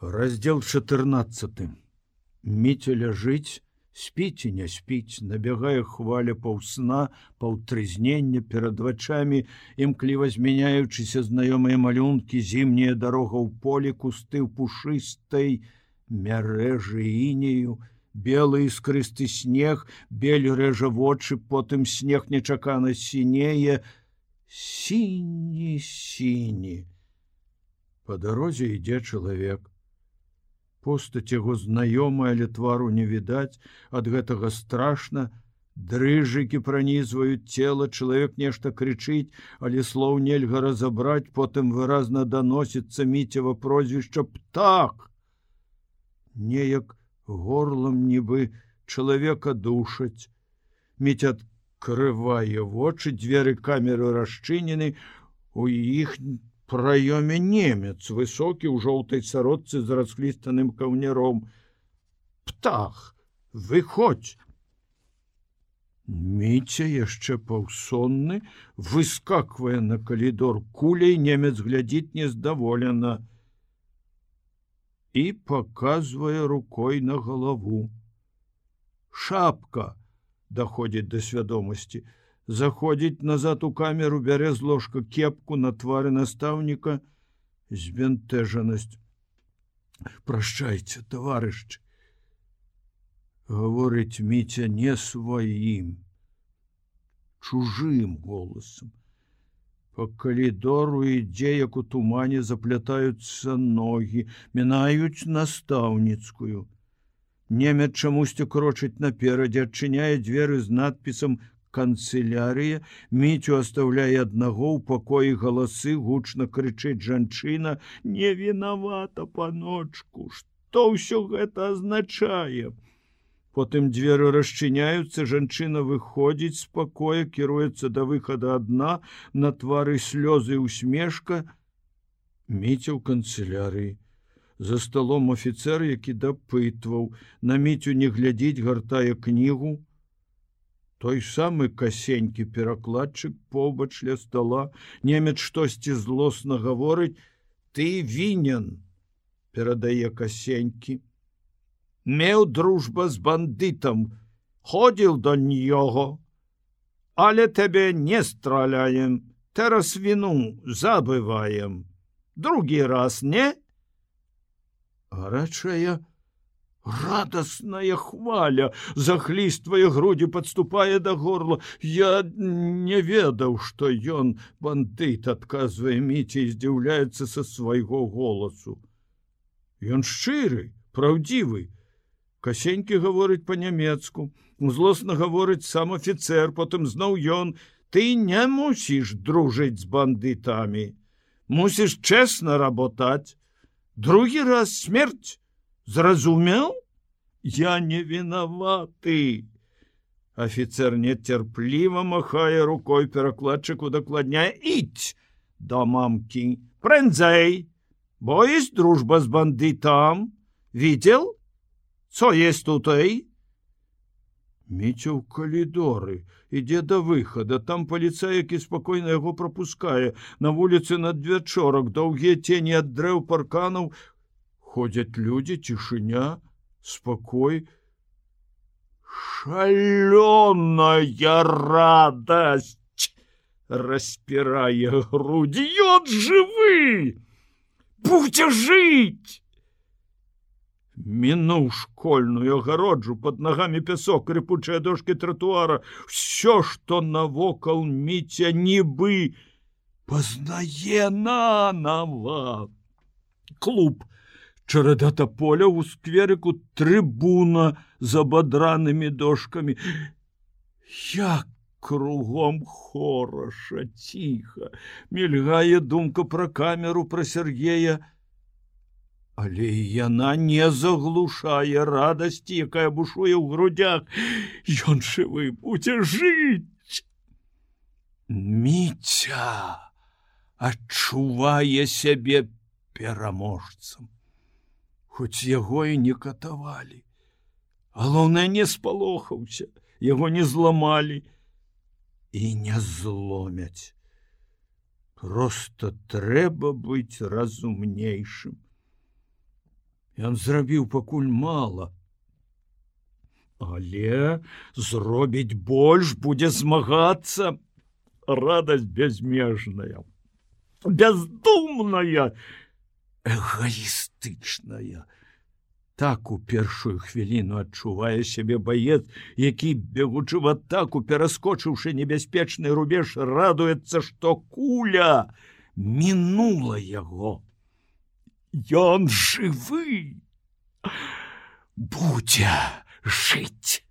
Раздзел 14. Міця ляжыць, спіць і не спіць, набягае хваля паўсна, паўтрызнення перад вачамі, імкліва змяняючыся знаёмыя малюнкі, зімняя дарога ў полі, кусты ў пушыстай мярэжы інею, белы іскрысты снег, бель рэжа вочы, потым снег нечакана сінее, сіні. Па дарозе ідзе чалавек. Постаць яго знаёмая, але твару не відаць, ад гэтага страшна, дрыжыкі пранізваюць цела, чалавек нешта крычыць, але слоў нельга разабраць, потым выразна даносіцца Міцева прозвішча «Птах». Неяк горлам нібы чалавека душаць. Міця адкрывае вочы, дзверы камеры расчынены, у іх праёме немец, высокі ў жоўтай сарочцы з расхлістаным каўняром. «Птах, выходзь!» Міця, яшчэ паўсонны, выскаквае на калідор куляй, немец глядзіць нездаволена і паказвае рукой на галаву. «Шапка!» даходзіць да свядомасці. Заходзіць назад у камеру, бярэ з ложка кепку, на твары настаўніка збянтэжанасць. «Прашчайце, таварышы!» гаворыць Міця не сваім, чужым голасам. Па калідору ідзе, як у тумане, заплятаюцца ногі, мінаюць настаўніцкую. Немец чамусьці крочыць наперадзе, адчыняе дзверы з надпісам «Канцелярыя». Міцю оставляе аднаго, у пакоі галасы, гучна крычыць жанчына: «Не вінавата, паночку, што ўсё гэта азначае?» Потым дзверы расчыняюцца, жанчына выходзіць з пакоя, кіруецца да выхада адна, на твары слёзы і усмешка. Міця ў канцелярыі. За сталом афіцэр, які дапытваў. На Міцю не глядзіць, гартае кнігу. Той самы касенькі перакладчык побач ля стола. Немец штосьці злосна гаворыць. «Ты вінен», перадае касенькі. «Меў дружба з бандытам, ходзіў да нього, але тебе не страляем, teraz віну забываем. Другі раз, не?» Гарачая, радасная хваля захліствае грудзі, падступае да горла. «Я не ведаў, што ён бандыт», адказвае Міця і здзіўляецца са свайго голасу. Ён шчыры, праўдзівы. Касенькі гаворыць па-нямецку, злосна гаворыць сам афіцэр, потым зноў ён: «Ты не мусіш дружыць з бандытамі, мусіш чэсна работаць. Другі раз смерць, зразумеў? Я не вінаваты». Афіцэр нецярпліва махае рукой, перакладчык удакладняе: «Ідź да мамкі, прędzej, bo jest дружба з бандытам. Видел? Co jest tutaj?» Міця ў калідоры, ідзе да выхада. Там паліцай, які спакойна яго прапускае. На вуліцы надвячорак, доўгія цені ад дрэў, парканаў. Ходзяць людзі, цішыня, спакой. Шалёная радасць распірае грудзі. Ён жывы! Будзе жыць! Мінуў школьную агароджу, пад нагамі пясок, рыпучыя дошкі тратуара. Усё, што навокал Міця нібы пазнае нанава. Клуб, чарада таполяў, у скверыку трыбуна з абадранымі дошкамі. Як кругом хораша, ціха. Мільгае думка пра камеру, пра Сергея. Але яна не заглушае радасці, якая бушуе ў грудях. Ён жывы, будзе жыць. Міця адчувае сябе пераможцам. Хоць яго і не катавалі. Галоўнае, не спалохаўся, яго не зламалі і не зломяць. Проста трэба быць разумнейшым. Ён зрабіў пакуль мала, але зробіць больш, будзе змагацца. Радасць бязмежная, бездумная, эгоістычная. Так у першую хвіліну адчувае сябе баец, які, бегучы в атаку, пераскочыўшы небяспечны рубеж, радуецца, што куля мінула яго. Ён жывы, будзе жыць.